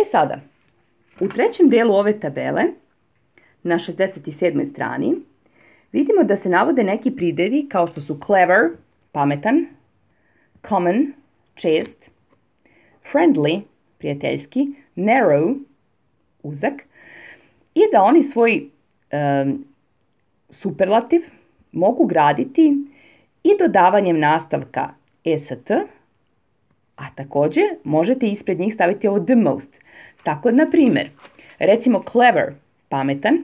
Sada, u trećem delu ove tabele, na 67. strani, vidimo da se navode neki pridevi kao što su clever, pametan, common, čest, friendly, prijateljski, narrow, uzak, i da oni svoj superlativ mogu graditi i dodavanjem nastavka est, a takođe možete ispred njih staviti ovo the most. Tako, na primjer, recimo clever, pametan,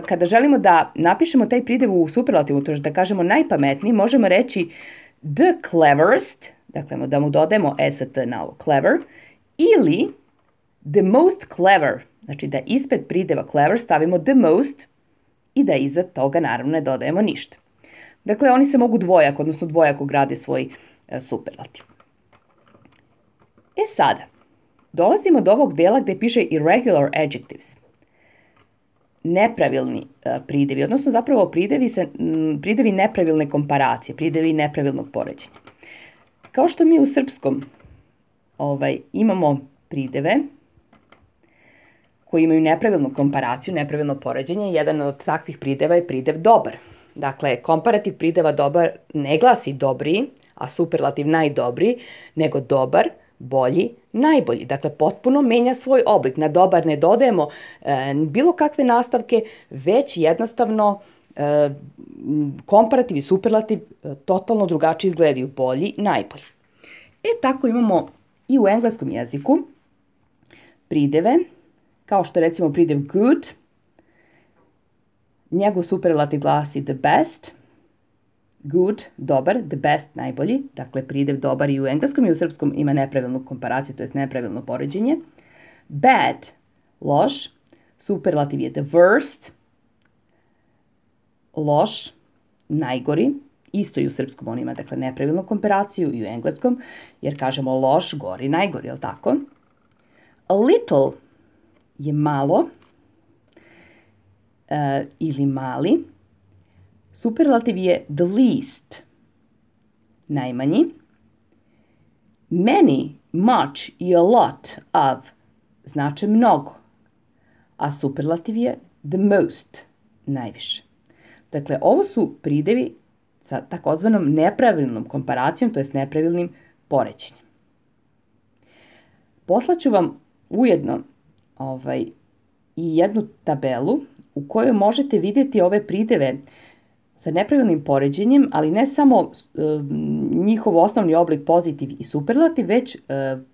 kada želimo da napišemo taj pridev u superlativu, to je da kažemo najpametniji, možemo reći the cleverest, dakle da mu dodajemo est na ovo clever, ili the most clever, znači da ispred prideva clever stavimo the most i da iza toga naravno ne dodajemo ništa. Dakle, oni se mogu dvojako grade svoj superlativ. Sada, dolazimo do ovog dela gde piše irregular adjectives. Nepravilni pridevi, odnosno zapravo pridevi nepravilne komparacije, pridevi nepravilnog poređenja. Kao što mi u srpskom imamo prideve koji imaju nepravilnu komparaciju, nepravilno poređenje, jedan od takvih prideva je pridev dobar. Dakle, komparativ prideva dobar ne glasi dobriji, a superlativ najdobriji, nego dobar, bolji, najbolji. Dakle, potpuno menja svoj oblik. Na dobar ne dodajemo bilo kakve nastavke, već jednostavno komparativ i superlativ totalno drugačije izgledaju, bolji, najbolji. Tako imamo i u engleskom jeziku prideve, kao što je recimo pridev good, njegov superlativ glasi the best, good, dobar, the best, najbolji, dakle pridev dobar i u engleskom i u srpskom ima nepravilnu komparaciju, to je nepravilno poređenje. Bad, loš, superlativ je the worst, loš, najgori, isto i u srpskom on ima, dakle, nepravilnu komparaciju i u engleskom, jer kažemo loš, gori, najgori, je li tako? A little je malo ili mali. Superlativ je the least, najmanji. Many, much i a lot of znače mnogo, a superlativ je the most, najviše. Dakle, ovo su pridevi sa takozvanom nepravilnom komparacijom, to jest nepravilnim poređenjem. Poslaću vam ujedno i jednu tabelu u kojoj možete vidjeti ove prideve sa nepravilnim poređenjem, ali ne samo njihov osnovni oblik pozitiv i superlativ, već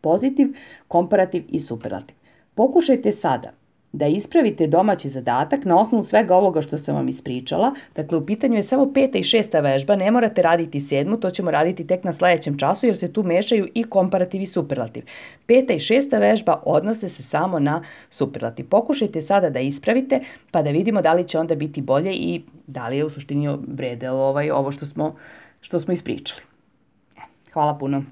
pozitiv, komparativ i superlativ. Pokušajte sada da ispravite domaći zadatak na osnovu svega ovoga što sam vam ispričala. Dakle, u pitanju je samo 5. i 6. vežba, ne morate raditi 7. To ćemo raditi tek na sledećem času jer se tu mešaju i komparativ i superlativ. 5. i 6. vežba odnose se samo na superlativ. Pokušajte sada da ispravite pa da vidimo da li će onda biti bolje i da li je u suštini vredelo ovo što smo ispričali. Hvala puno.